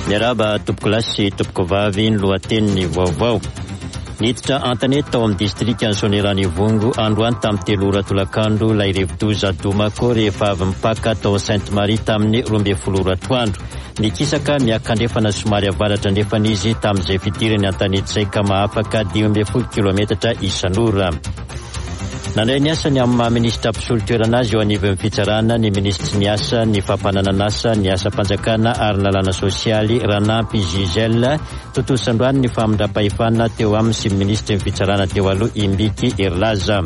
Miarahaba tompokolahy sy tompokovavy ny lohatenin'ny vaovao. Niditra an-tanety tao amin'ny distrikan'i Soanierana Ivongo androany tamin'ny telo ora tolakandro ilay rivodoza Domako rehefa avy nipaka tao Sainte Marie tamin'ny 12 ora atoandro. Nikisaka miakandrefana somary avaratra andrefana izy tamin'izay fidirany an-tanety izay ka mahafaka 15 kilometatra isan'ora. Nandray ny asany amin'ny maha minisitra mpisolo toerana azy eo anivon'ny fitsarana ny minisitry ny asa, ny fampananan'asa, ny asam-panjakana ary ny lalàna sosialy, Ranampy Gisèle. Tontosa androany ny famindram-pahefana teo aminy sy ny minisitry ny fitsarana teo aloha, Imbiki Herilaza.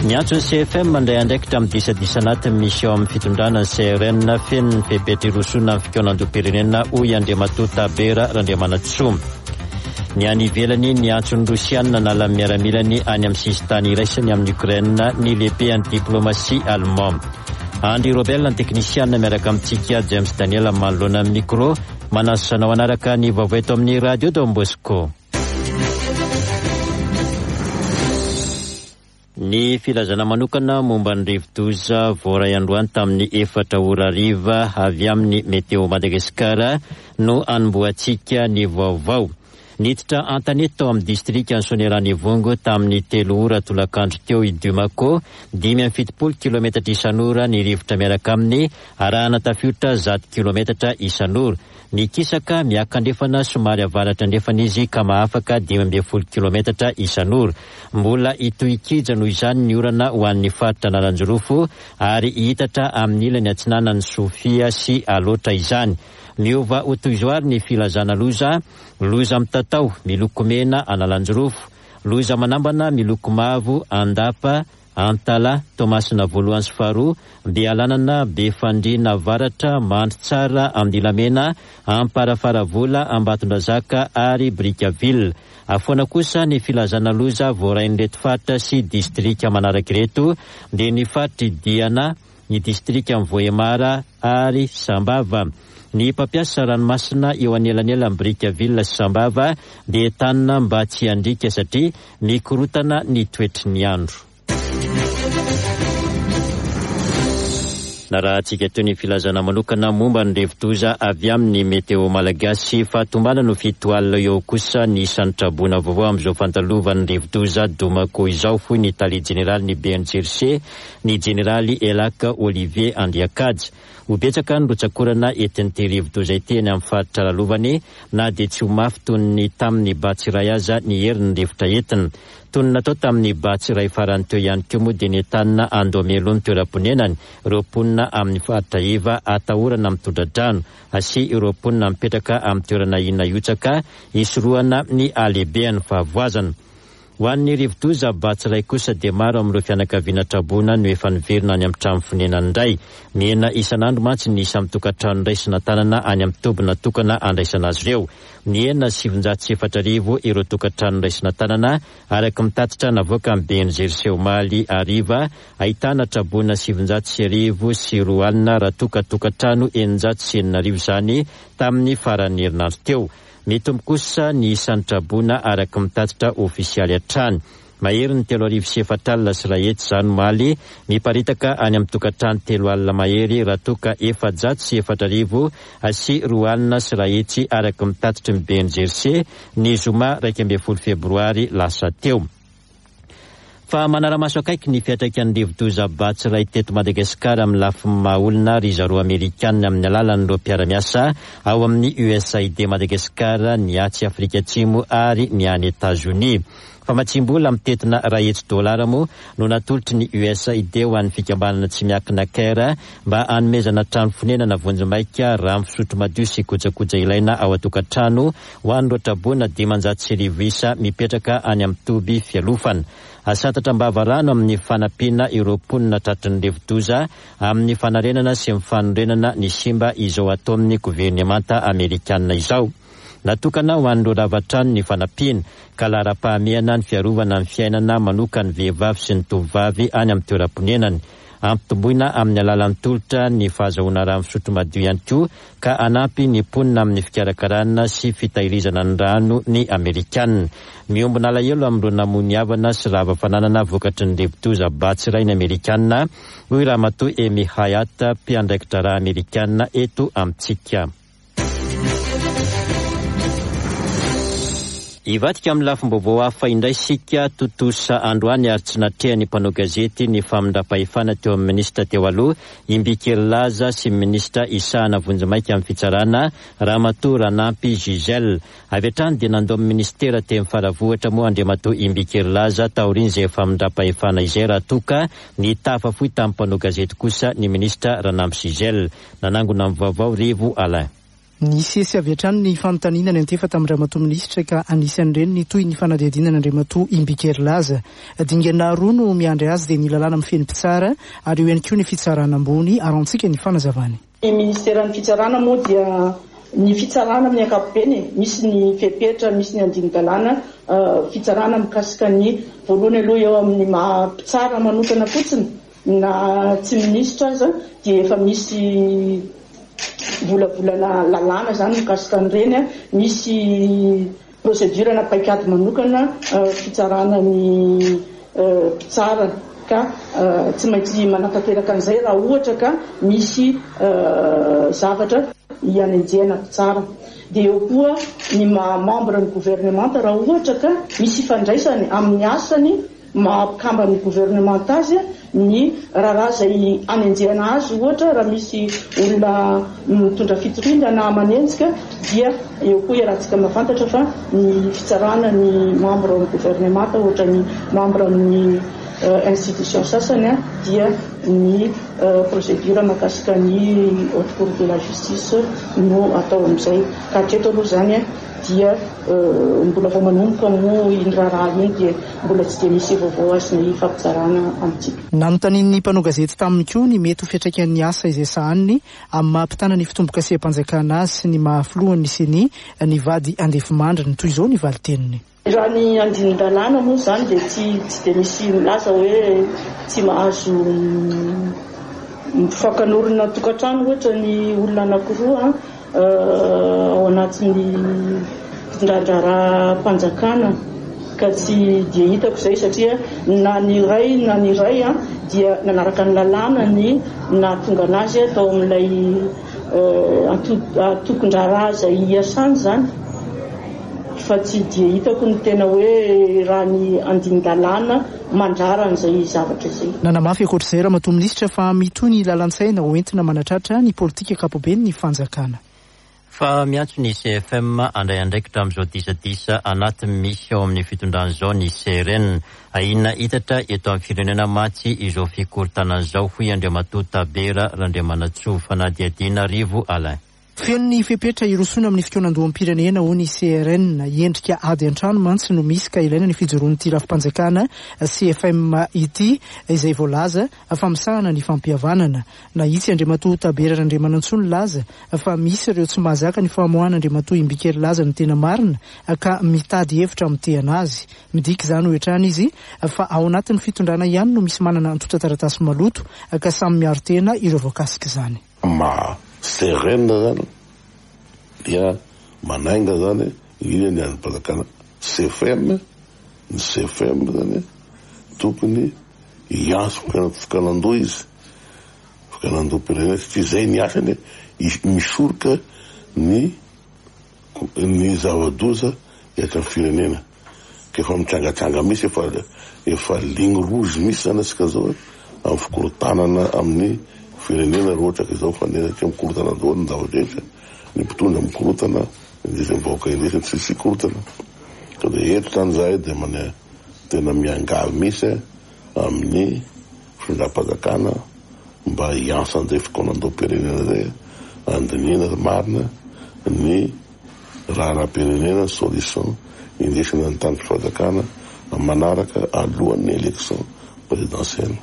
Niantso ny CFM handray andraikitra amin'ny disadisa anatiny misy ao amin'ny fitondrana ny CRN feno ny fepetra hirosoana amin'ny fikaonandoham-pirenena, hoy Andriamatoa Tabera Randriamanantsoa. Ny any ivelany, niantso ny Rosiana hanala ny miaramilany any amin'ny sisintany iraisany amin'i Ukraine ny lehiben'ny diplomasia allemand. Andry Robel ny teknisiana miaraka amintsika James Daniel manoloana ny micro. Manasa anao hanaraka ny vaovao eto amin'ny Radio Don Bosco. Ny filazana manokana momba ny rivodoza voaray androany tamin'ny efatra ora hariva avy amin'ny Météo Madagascar no hanombohantsika ny vaovao. Niditra an-tanety tao amin'ny distrikan'i Soanierana Ivongo tamin'ny telo ora tolakandro teo i Dumako, 75 kilometatra isan'ora ny rivotra miaraka aminy, arahana tafiotra 100 kilometatra isan'ora. Mikisaka miakandrefana somary avaratra andrefana izy ka mahafaka 15 kilometatra isan'ora. Mbola hitohy hikija noho izany ny orana ho an'ny faritra Analanjirofo ary hihitatra amin'ny ilany atsinanan'i Sofia sy Alaotra izany. Miova ho toy izao ary ny filazana loza, Loza mitatao, miloko mena Analanjirofo, loza manambana miloko mavo Andapa, Antala, Toamasina voalohany sy faharoa, Bealanana, Befandriana Avaratra, Mandritsara, Andilamena, Amparafaravola, Ambatondrazaka ary Brickaville. Afoana kosa ny filazana loza voarain'ireto faritra sy distrika manaraka ireto dia ny faritr'i Diana, ny distrikan'i Vohemar ary Sambava. Ny mpampiasa ranomasina eo anelanelan'i Brickaville sy Sambava dia entanina mba tsy handriaka satria mikorontana ny toetry ny andro. Narahantsika teo ny filazana manokana momba ny rivodoza avy amin'ny Météo Malagasy. Fahatombanana ho fito alina eo kosa ny isan'ny traboina vaovao amin'izao fandalovan'ny rivodoza Domako izao, hoy ny tale jeneralin'ny BNGRC, ny jeneraly Elack Olivier Andriakaja. Ho betsaka ny rotsak'orana entin'ity rivodoza ity eny amin'ny faritra lalovany na dia tsy ho mafy toy ny tamin'ny Batsirai aza ny herin'ny rivotra entina. Toy ny natao tamin'ny Batsirai farany teo ihany koa moa dia nentanina handoa mialoha ny toeram-ponenany ireo mponina amin'ny faritra iva atahorana amin'ny tondra-drano sy ireo mponina mipetraka amin'ny toerana ahiana hihotsaka hisorohana ny halehibehan'ny fahavoazana. Ho an'ny rivodoza Batsirai kosa dia maro amin'ireo fianakaviana traboina no efa niverina any amin'ny trano fonenany indray. Mihena isan'andro mantsy ny isan'ny tokantrano raisina an-tanana any amin'ny toby natokana handraisana azy ireo. Nihena 4900 ireo tokantrano raisina an-tanana araka ny tatitra navoakan'ny BNGRC omaly hariva, ahitana traboina 20 920 raha toa ka tokantrano 6006 izany tamin'ny faran'ny herinandro teo. Mitombo kosa ny isan'ny traboina araka ny tatitra ofisialy hatrany. Maherin'ny 4400 izany omaly, miparitaka any amin'ny tokantrano 30 mahery raha toa ka 204 200 araka ny tatitry ny BNGRC ny zoma 11 febroary lasa teo. Fa manara-maso akaiky ny fiantraikan'ny rivodoza Batsirai teto Madagasikara amin'ny lafiny maha olona ry zareo Amerikana amin'ny alalan'ireo mpiara-miasa ao amin'ny USAID Madagascar, ny atsy Afrika Atsimo ary ny any Etazonia. Famatsiam-bola mitentina 100 dolara moa no natolotry ny USAID ho an'ny fikambanana tsy miankina Care mba hanomezana trano fonenana vonjimaika, rano fisotro madio sy kojakoja ilaina ao an-tokantrano Ho an'ireo traboina 1500 isa mipetraka any amin'ny toby fialofana. Asantatra am-bava rano amin'ny fanampiana ireo mponina tratry ny rivodoza amin'ny fanarenana sy ny fanorenana ny simba izao ataon'ny governemanta amerikana izao. Natokana ho an'ireo rava trano ny fanampiana, ka laharam-pahamehana ny fiarovana ny fiainana manokan'ny vehivavy sy ny tovovavy any amin'ny toeram-ponenany. Ampitomboina amin'ny alalan'ny tolotra ny fahazahoana rano fisotro madio ihany koa ka hanampy ny mponina amin'ny fikarakarana sy fitahirizana ny rano ny Amerikana. Miombona alahelo amin'ireo namoy ny havana sy rava fananana vokatry ny rivodoza Batsirai ny Amerikana, hoy Ramatoa Amy Hyatt, mpiandraiki-draharaha Amerikana eto amintsika. Hivadika amin'ny lafim-baovao hafa indray isika, tontosa androany ary tsy natrehan'ny mpanao gazety ny famindram-pahefana teo amin'ny minisitra teo aloha, Imbiki Herilaza sy ny minisitra hisahana vonjimaika amin'ny fitsarana, Ramatoa Ranampy Gisèle. Avy hatrany dia nandao ny minisitera teny Faravohitra moa Andriamatoa Imbiki Herilaza taorian'izay famindram-pahefana izay raha toa ka nitafa fohy tamin'ny mpanao gazety kosa ny minisitra Ranampy Gisèle. Nanangona ny vaovao Rivo Alain. Nisesy avy hatrany ny fanontaniana niantefa tamin-dRamatoa Minisitra ka anisan'ireny ny tohin'ny fanadihadiana an'Andriamatoa Imbiki Herilaza. Dingana roa no miandry azy dia ny lalàna mifehy ny mpitsara ary eo ihany koa ny fitsarana ambony, arahantsika ny fanazavany. Ny Ministeran'ny Fitsarana moa dia ny fitsarana amin'ny ankapobeny e, misy ny fepetra, misy ny andinin-dalàna fitsarana mikasika ny voalohany aloha eo amin'ny maha mpitsara manokana fotsiny Na tsy minisitra aza dia efa misy volavolana lalàna izany mikasika an'ireny, misy procédure na paikady manokana fitsarana ny mpitsara ka tsy maintsy manatanteraka an'izay raha ohatra ka misy zavatra hianenjehana mpitsara. Dia eo koa ny maha membre ny gouvernemanta raha ohatra ka misy ifandraisany amin'ny asany Maha mpikamban'ny governemanta azy ny raharaha izay anenjehana azy, ohatra raha misy olona mitondra fitoriana na manenjika dia eo koa iarahantsika mahafantatra fa ny fitsarana ny membre ao amin'ny governemanta ohatra ny membre amin'ny institution sasany dia ny procédure mahakasika ny haute cour de la justice no atao amin'izay ka hatreto aloha izany dia mbola vao manomboka moa iny raharaha iny dia mbola tsy dia misy vaovao azonay ifampizarana amintsika. Nanontanian'ny mpanao gazety taminy koa ny mety ho fiantraikan'ny asa izay sahaniny amin'ny maha mpitana ny fitombokaseham-panjakana azy sy ny maha filohan'ny Ceni ny vady andefimandriny. Toy izao ny valin-teniny. Raha ny andinin-dalàna moa izany dia tsy tsy dia misy milaza hoe tsy mahazo mifankanorina tokantrano ohatra ny olona anankiroa ao anatin'ny fitondran-draharaham-panjakana ka tsy dia hitako izay satria na ny iray na ny iray dia nanaraka ny lalàna ny nahatonga an'azy tao amin'ilay antokon-draharaha izay iasany izany fa tsy dia hitako ny tena hoe raha ny andinin-dalàna mandrara an'izay zavatra izay. Nanamafy ankoatra izay Ramatoa Minisitra fa mitohy ny lalan-tsaina ho entina manatratra ny politika ankapoben'ny fanjakana. Fa miantso ny CFM handray andraikitra amin'izao disadisa anatiny misy ao amin'ny fitondrana izao ny CRN. Ahiana hitatra eto amin'ny firenena mantsy izao fikorontanana izao, hoy Andriamatoa Tabera Randriamanantsoa. Fanadihadiana Rivo Alain. Feno ny fepetra hirosoana amin'ny fikaonandoham-pirenena, hoy ny CRN. Endrika ady an-trano mantsy no misy ka ilaina ny fijoroan'ity rafi-panjakana CFM ity izay voalaza fa misahana ny fampihavanana. Nahitsy Andriamatoa Tabera Randriamanantsoa nilaza fa misy ireo tsy mahazaka ny famoahana Andriamatoa Imbiki Herilaza ny tena marina ka mitady hevitra hamotehana azy. Midika izany, hoy hatrany izy, fa ao anatin'ny fitondrana ihany no misy manana antontan-taratasy maloto ka samy miaro tena ireo voakasik'izany. Maha sereine zany dia manainga zany indrindra ny andrim-panjakana CFM, ny CFM zany tokony hiantso fikaonandoha izy, fikaonandoham-pirenena satria zay ny asany misoroka ny ny zava-doza eto amin'ny firenena. Ka efa mitrangatranga mihitsy, efa efa ligne rouge mihitsy zany antsika zao amin'ny fikorontanana amin'ny firenena raha ohatra ka izao fandeha satria mikorontana daholo ny zava-drehetra, ny mpitondra mikorontana, indrisy ny vahoaka indrisy ny tsisy korontana. Ka dia eto zany zahay dia mane tena miangavy mihitsy amin'ny fitondram-panjakana mba hiantso an'izay fikaonandoham-pirenena izay handinihana marina ny Raharaham-pirenena solution indesina ny tany fanjakana manaraka alohan'ny election présidentielle.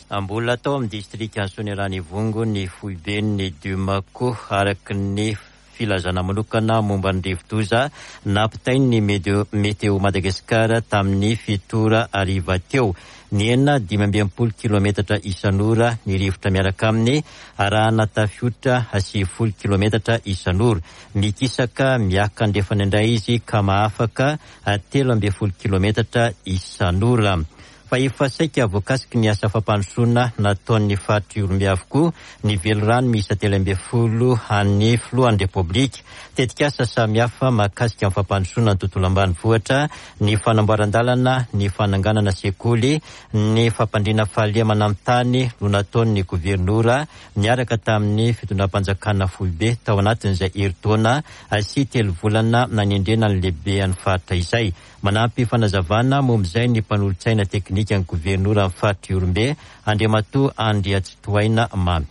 Mbola tao amin'ny distrikan'i Soanierana Ivongo ny foiben'ny Dumaco, araka ny filazana manokana momba ny rivodoza nampitain'ny Météo Madagascar tamin'ny fito ora hariva teo. Nihena 65 kilometatra isan'ora ny rivotra miaraka aminy, arahana tafiotra 90 kilometatra isan'ora. Mikisaka miakandrefana indray izy ka mahafaka 13 kilometatra isan'ora. Fa efa saika voakasiky ny asa fampandrosoana nataon'ny faritr'i Ihorombe avokoa ny velirano miisa 13 an'ny filohan'ny Repoblika. Tetikasa samihafa mahakasika ny fampandrosoana ny tontolo ambanivohitra, ny fanamboaran-dalana, ny fananganana sekoly, ny fampandriana fahalemana amin'ny tany no nataon'ny governora niaraka tamin'ny fitondram-panjakana foibe tao anatin'izay herintaona sy telo volana nanendrena ny lehiben'ny faritra izay. Manampy fanazavana momba izay ny mpanolotsaina teknikan'ny governoran'ny faritr'i Ihorombe, Andriamatoa Andriatsitohaina Mamy.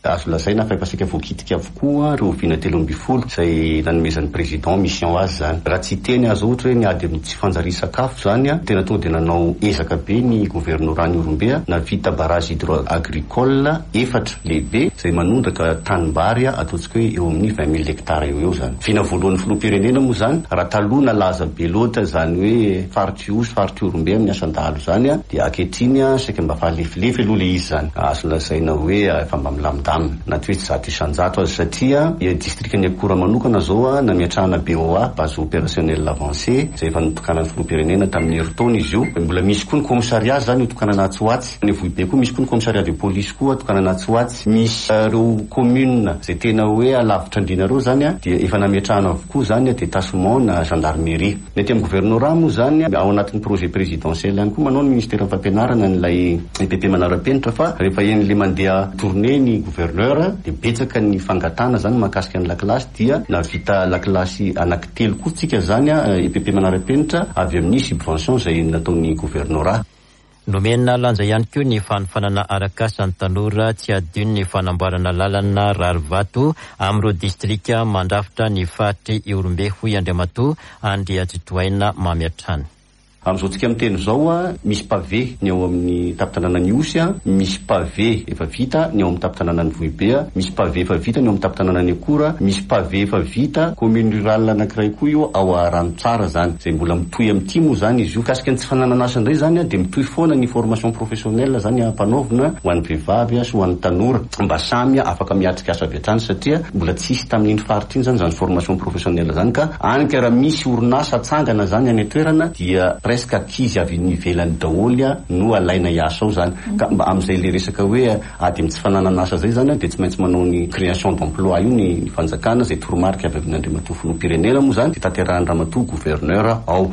Azo lazaina fa efa saika voakitika avokoa ireo vina 13 izay nanomezan'ny Président mission azy izany. Raha tsy hiteny aza ohatra hoe ny ady amin'ny tsy fanjarian-sakafo izany, tena tonga dia nanao ezaka be ny governoran'i Ihorombe, nahavita barrage hydro-agricole efatra lehibe izay manondraka tanimbary ataontsika hoe eo amin'ny 20 mille hectares eo ho eo izany. Vina voalohan'ny filoham-pirenena moa izany, raha taloha nalaza be loatra izany hoe faritr'i Ihosy, faritr'i Ihorombe amin'ny asan-dahalo izany dia ankehitriny saika mba efa lefilefy aloha ilay izy izany. Azo lazaina hoe efa mba milamindamina na tsy hoe tsy 100% aza satria distrikan'i Akora manokana izao nametrahana BOA, Base Opérationnelle Avancée, izay efa notokanan'ny filoham-pirenena tamin'ny herintaona izy io. Mbola misy koa ny commissariat izany hotokanana atsy ho atsy. Any Vohibe koa misy koa ny commissariat de police koa tokanana atsy ho atsy. Misy ireo commune izay tena hoe alavitra andriana ireo izany dia efa nametrahana avokoa izany détachement na gendarmerie. Ny aty amin'ny gouvernorat moa izany ao anatin'ny projet présidentiel ihany koa manao ny ministeran'ny fampianarana an'ilay EPP manara-penitra fa rehefa eny le mandeha tournée ny gouverneur dia betsaka ny fangatahana izany mahakasika ny lakilasy dia nahavita lakilasy anankitelo koa tsika izany EPP manara-penitra avy amin'ny subvention izay nataon'ny gouvernorat. Nomena lanja ihany koa ny fanofanana arak'asa ny tanora, tsy hadino ny fanamboarana lalana rarivato amin'ireo distrika mandrafitra ny faritr'i Ihorombe, hoy Andriamatoa Andriatsitohaina Mamy hatrany. Amin'izao tsika miteny izao, misy pavé ny ao amin'ny tampon-tanànan'i Ihosy, misy pavé efa vita ny ao amin'ny tampon-tanànan'i Vohibe, misy pavé efa vita ny ao amin'ny tampon-tanànan'i Akora, misy pavé efa vita commune rurale anankiray koa io ao Ranotsara izany, izay mbola mitohy amin'ity moa izany izy io. Mikasika ny tsy fananana asa indray izany dia mitohy foana ny formation professionnelle izany ampanaovina ho an'ny vehivavy sy ho an'ny tanora mba samy afaka miatrika asa avy hatrany satria mbola tsisy tamin'iny faritra iny izany izany formation professionnelle izany ka any ka raha misy orinasa atsangana izany any an-toerana dia presque ankizy avy any ivelany daholo no alaina hiasa ao izany ka mba amin'izay le resaka hoe ady amin'ny tsy fananana asa izay izany dia tsy maintsy manao ny création d'emploi io ny fanjakana izay toromarika avy amin'Andriamatoa Filoham-pirenena moa izany dia tanterahin'i Ramatoa Gouverneur ao.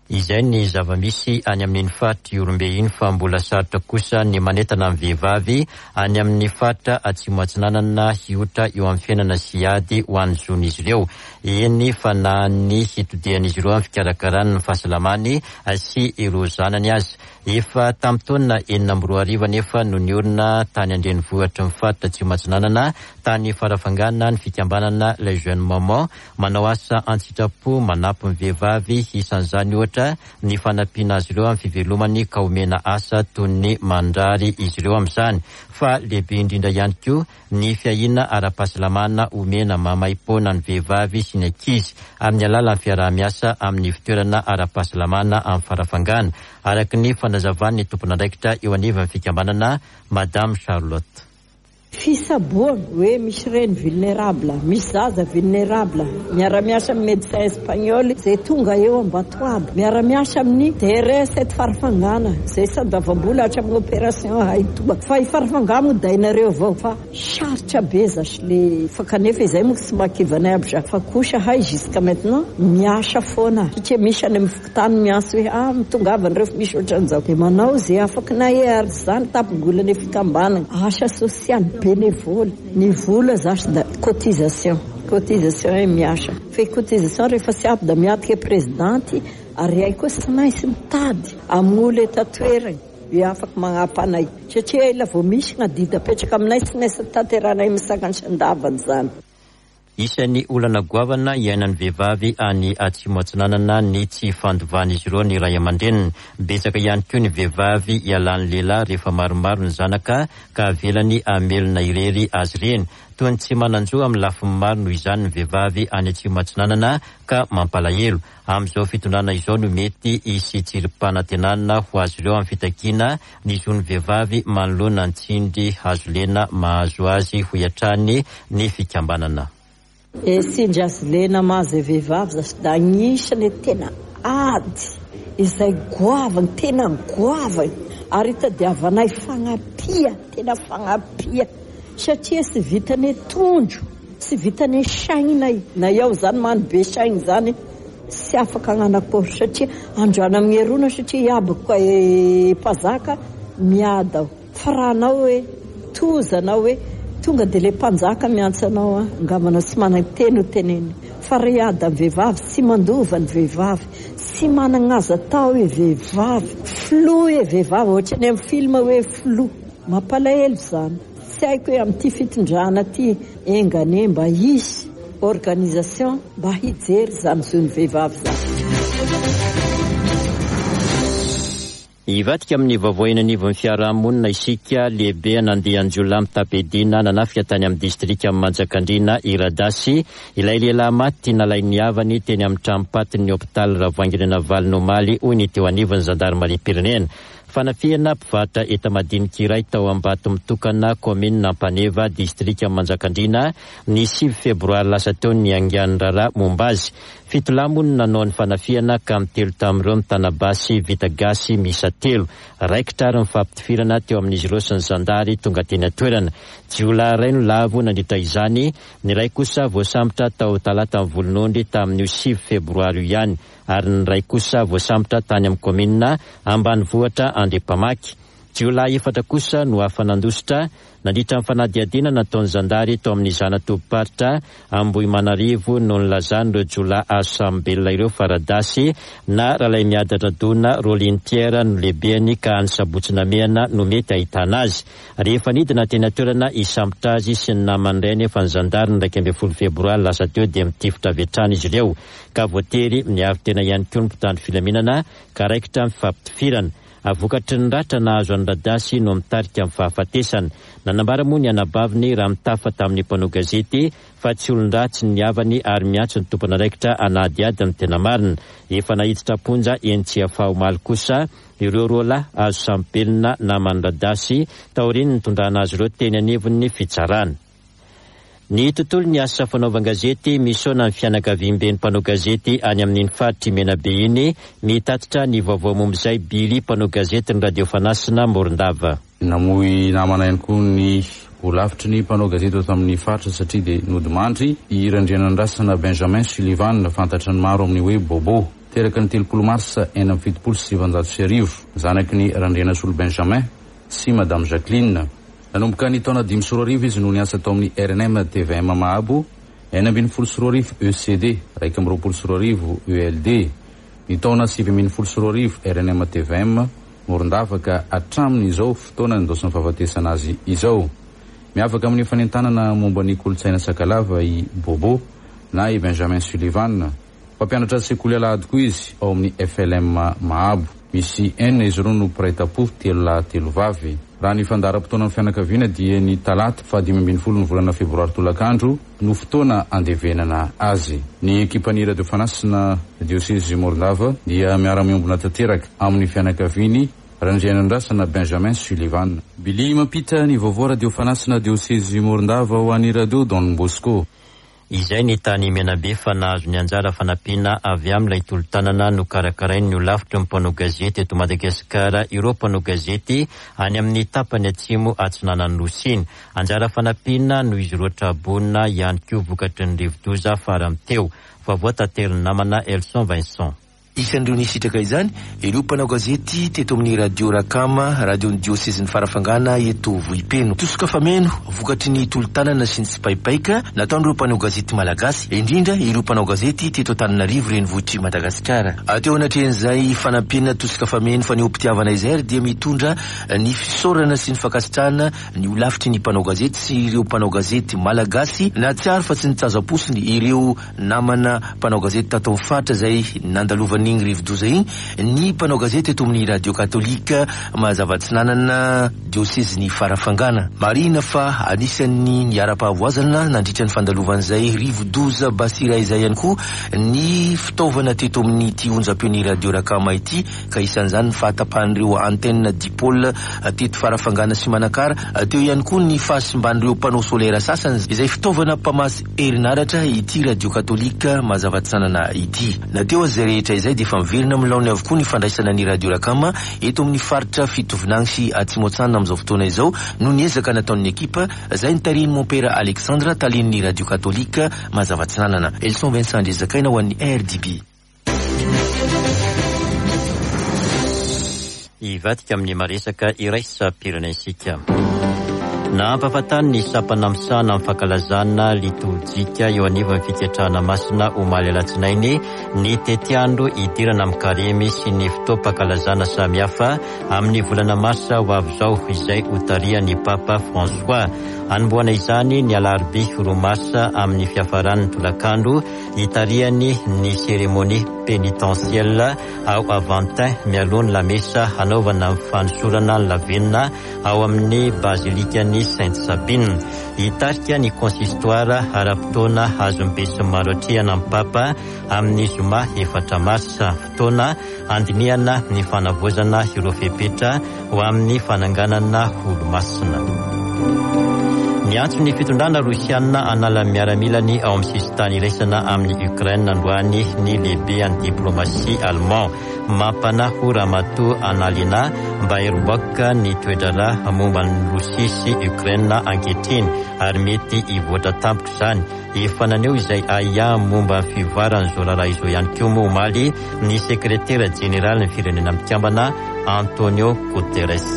Izay ny zava-misy any amin'iny faritr'i Ihorombe iny fa mbola sarotra kosa ny manentana ny vehivavy any amin'ny faritra Atsimo Atsinanana hiotra eo amin'ny fiainana sy hiady ho an'ny zon'izy ireo. Eny fa na ny hitodihan'izy ireo amin'ny fikarakarany ny fahasalamany sy ireo zanany aza. Efa tamin'ny taona 2006 anefa no niorina tany an-drenivohitry ny faritra Atsimo Atsinanana, tany Farafangana ny fikambanana Les Jeunes Mamans Manao asa an-tsitrapo manampy ny vehivavy, isan'izany ohatra ny fanampiana azy ireo amin'ny fivelomany ka omena asa toy ny mandrary izy ireo amin'izany. Fa lehibe indrindra ihany koa ny fiahiana ara-pahasalamana omena maimaimpoana ny vehivavy sy ny ankizy amin'ny alalan'ny fiaraha-miasa amin'ny ivontoerana ara-pahasalamana amin'ny farafangana, araka ny fanazavan'ny tompon'andraikitra eo anivon'ny fikambanana Madame Charlotte. Fisaboana, hoe misy reny vulnerable, misy zaza vulnerable, miara-miasa amin'ny médecin espagnol izay tonga eo Ambatoabo, miara-miasa amin'ny DRS eto Farafangana izay tsy andavam-bola hatramin'ny opération hay toa. Fa i Farafangana moa dainareo avao fa sarotra be zasy le fa kanefa izay moa tsy mahakivy anay aby za fa kosa hay jusqu'à maintenant miasa foana satria misy any amin'ny Tany miantso hoe ah mitongava nareo fa misy ohatran'izao dia manao ze afakinay e ary zany tapongolana fikambanana asa sosialy bénévole ny vola zasy da cotisation cotisation e miasa fe cotisation rehefa tsy ampy da miatrika prezidanty ary ay koa tsy maintsy mitady amin'olo eto an-toerana hoe afaky magnampy anay satria ela vao misy gn'adidy apetraka aminay tsy maintsy tanterahanay misakany sy andavany zany. Isan'ny olana goavana iainan'ny vehivavy any Atsimo Atsinanana ny tsy fandovan'izy ireo ny ray aman-dreniny. Betsaka ihany koa ny vehivavy ialan'ny lehilahy rehefa maromaro ny zanaka ka avelany hamelona irery azy ireny. Toy ny tsy manan-jo amin'ny lafiny maro noho izany ny vehivavy any Atsimo Atsinanana ka mampalahelo. Amin'izao fitondrana izao no mety hisy tsirim-panantenana ho azy ireo amin'ny fitakiana ny zon'ny vehivavy manoloana ny tsindry hazo lena mahazo azy, hoy hatrany ny fikambanana. E tsindry hazo lena mahazo e vehivavy zasy da agnisany tena ady. izay goavagna, tena goavagna ary itadiavanay fagnampia, tena fagnampia satria tsy vitan'ny tondro, tsy vitan'ny saignay, na iaho zany mano be saigny zany tsy afaka hagnano akory satria androany amin'ny erona satria iabako mpazaka miady aho. Fa raha anao hoe toza anao hoe tonga dia ilay mpanjaka miantso anao an, angamba anao tsy manana teny ho tenenina. Fa ry Adam vehivavy tsy mandova ny vehivavy, tsy managna azo atao e vehivavy, filoha e vehivavy, ohatran'ny amin'ny film hoe filoha. Mampalahelo izany. Tsy haiko hoe amin'ity fitondrana ity enga anie mba hisy organisation mba hijery izany zon'ny vehivavy izany. Hivadika amin'ny vaovao eny anivon'ny fiarahamonina isika, lehibe an'andian-jiolahy mitam-piadiana nanafika tany amin'ny distrikan'i Manjakandriana i Radasy, ilay lehilahy maty nalain'ny havany teny amin'ny tranom-patin'ny hopitaly Ravoahangy Ranavalona omaly, hoy ny teo anivon'ny zandarimariam-pirenena. Fanafihana mpivarotra enta-madinika iray tao Ambatomitokana, kaominina Ampaneva, distrikan'i Manjakandriana, ny sivy febroary lasa teo ny niaingan'ny raharaha momba azy. Fito lahy moa no nanao ny fanafihana ka ny telo tamin'ireo nitana basy vita gasy miisa telo. Raikitra ary ny fifampitifirana teo amin'izy ireo sy ny zandary tonga teny an-toerana. Jiolahy iray no lavo nandritra izany, ny iray kosa voasambotra tao Talatan'ny Volonondry tamin'io sivy febroary io ihany ary ny iray kosa voasambotra tany amin'ny kaominina ambanivohitra Andriampamaky. Jiolahy efatra kosa no afa-nandositra Nandritra ny fanadihadiana nataon'ny zandary tao amin'ny zana-tobim-paritra Ambohimanarivo no nilazan'ireo jiolahy azo sambom-belona ireo fa Radasy na Ralaimiadradona Rolly Pierre no lehibeny ka any Sabotsy Namehana no mety ahitana azy. Rehefa nidina teny an-toerana hisambotra azy sy ny namany iray anefa ny zandary ny 11 febroary lasa teo dia mitifitra avy hatrany izy ireo ka voatery niaro tena ihany koa ny mpitandro filaminana ka raikitra ny fifampitifirana. Vokatry ny ratra nahazo an'i Radasy no mitarika ny fahafatesana. Nanambara moa ny anabaviny raha mitafa tamin'ny mpanao gazety fa tsy olon-dratsy ny havany ary miantso ny tompon'andraikitra hanadihady ny tena marina. Efa naiditra am-ponja eny Tsiafahy omaly kosa ireo roa lahy azo sambobelona naman'i Radasy taorian'ny nitondrana azy ireo teny anivon'ny fitsarana. Ny tontolon'ny asa fanaovan-gazety, misaona ny fianakaviamben'ny mpanao gazety any amin'iny faritr'i Menabe iny, mitatitra ny vaovao momba izay Billy mpanao gazetin'ny Radio Fanasina Morondava. Namoy namana ihany koa ny holafitry ny mpanao gazety eto amin'ny faritra satria dia nodimandry i Randrianandrasana Benjamin Sullivan, fantatry ny maro amin'ny hoe Bobo. Teraka ny 30 marsa 1976, zanaky ny Randrianasolo Benjamin sy Madame Jacqueline. Nanomboka ny taona 2005 izy no niasa tao amin'ny rnm tvm Mahabo, 2016 ECD, 2021 ELD. Ny taona 2019 rnm tvm Morondava ka hatramin'izao fotoana nindaosin'ny fahafatesana azy izao. Miavaka amin'ny fanentanana momba ny kolontsaina sakalava i Bobo na i Benjamin Sullivan. Mpampianatra sekoly alahady koa izy ao amin'ny FLM Mahabo. Misy enina izy ireo no mpiray tampo, telo lahy telo vavy. Raha ny fandaharam-potoanan'ny fianakaviana dia ny talata faha 15 ny volana febroary tolakandro no fotoana andevenana azy. Ny ekipan'ny Radio Fanasina Diosezy Morondava dia miara-miombona tanteraka amin'ny fianakaviany Randrianandrasana Benjamin Sullivan. Billy mampita ny vaovao Radio Fanasina Diosezy Morondava ho an'ny Radio Don Bosco. Izay ny tany Menabe fa nahazo ny anjara fanampiana avy amin'ilay tolo-tanana nokarakarain'ny holafitry ny mpanao gazety eto Madagasikara ireo mpanao gazety any amin'ny tapany atsimo atsinanan'ny Nosy iny. Anjara fanampiana noho izy ireo tra-boina ihany koa vokatry ny rivodoza farany teo. Vaovao taterin'ny namana Elson Vincent. Isan'ireo nisitraka izany ireo mpanao gazety teto amin'ny Radio Rakama, radion'ny diosezin'i Farafangana eto Vohipeno. Tosika fameno vokatry ny tolo-tanana sy ny tsipaipaika nataon'ireo mpanao gazety malagasy, indrindra ireo mpanao gazety teto Antananarivo renivohitr'i Madagasikara. Teo anatrehan'izay fanampiana tosika fameno fanehoam-pitiavana izay ary dia mitondra ny fisaorana sy ny fankasitrahana ny holafitry ny mpanao gazety sy ireo mpanao gazety malagasy nahatsiaro fa tsy nitazam-posiny ireo Namana mpanao gazety tato amin'ny faritra izay nandalovan'igny rivodoza igny ny mpanao gazety eto amin'ny Radio Katolika Mazava Atsinanana diosezin'i Farafangana. Marihina fa anisan'ny niharam-pahavoazana nandritra ny fandalovan'izay rivodoza Bassira izay ihany koa ny fitaovana teto amin'ity onjam-peon'ny Radio Rakama ity ka isan'izany ny fahatapahan'ireo antenne dipole teto Farafangana sy Manakara, teo ihany koa ny fahasimban'ireo panneau solaire sasany izay fitaovana mpamatsy herinaratra ity radio katolika Mazava Atsinanana ity. Na teo aza izay rehetra izay. dia efa miverina amin'ny laoniny avokoa ny fandraisana ny Radio Rakama eto amin'ny faritra Fitovinagny sy Atsimo Atsinanana amin'izao fotoana izao noho ny ezaka nataon'ny ekipa izay notarihin'i Mompera Alexandre talen'ny Radio Katolika Mazava Atsinanana. Elson Vincent Andriazakaina ho an'ny RDB. Hivadika amin'ny maresaka iraisam-pirenena isika. Nampahafantariny ny sampana misahana ny fankalazana litorjika eo anivon'ny fiketrahana masina omaly alatsinainy ny tetiandro hidirana amin'ny karemy sy ny fotoam-pankalazana samihafa amin'ny volana marsa ho avy izao izay hotarihan'ny Papa François. Hanombohana izany ny alarobia roa marsa amin'ny fiafaran'ny tolakandro hitarihany ny cérémonie pénitentielle ao Aventin mialoha ny lamesa hanaovana ny fanosorana ny lavenona ao amin'ny bazilikan'i Sainte Sabine. Hitarika ny consistoire ara-potoana azon'ny besinimaro atrehana ny Papa amin'ny zoma efatra marsa, fotoana handinihana ny fanavaozana ireo fepetra ho amin'ny fananganana olomasina. Niantso ny fitondrana rosiana hanala ny miaramilany ao amin'ny sisintany iraisana amin'i Ukraine androany ny lehibean'ny diplomasia allemand. Mampanahy ho Ramatoa Annalena Baerbock ny toe-draharaha momba an'i Rosia sy Ukraine ankehitriny ary mety hivoatra tampoka izany. Efa naneho izay ahiahy momba ny fivoaran'izao raharaha izao ihany koa moa omaly ny sekretera jeneralin'ny Firenena Mikambana, Antonio Guterres.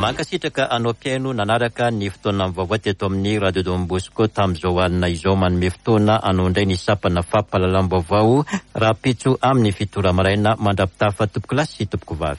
Mankasitraka anao mpihaino nanaraka ny fotoana vaovao teto amin'ny Radio Don Bosco tamin'izao alina izao. Manome fotoana anao indray ny sampana fampahalalam-baovao rahampitso amin'ny fito ora maraina. Mandra-pitafa tompokolahy sy tompokovavy.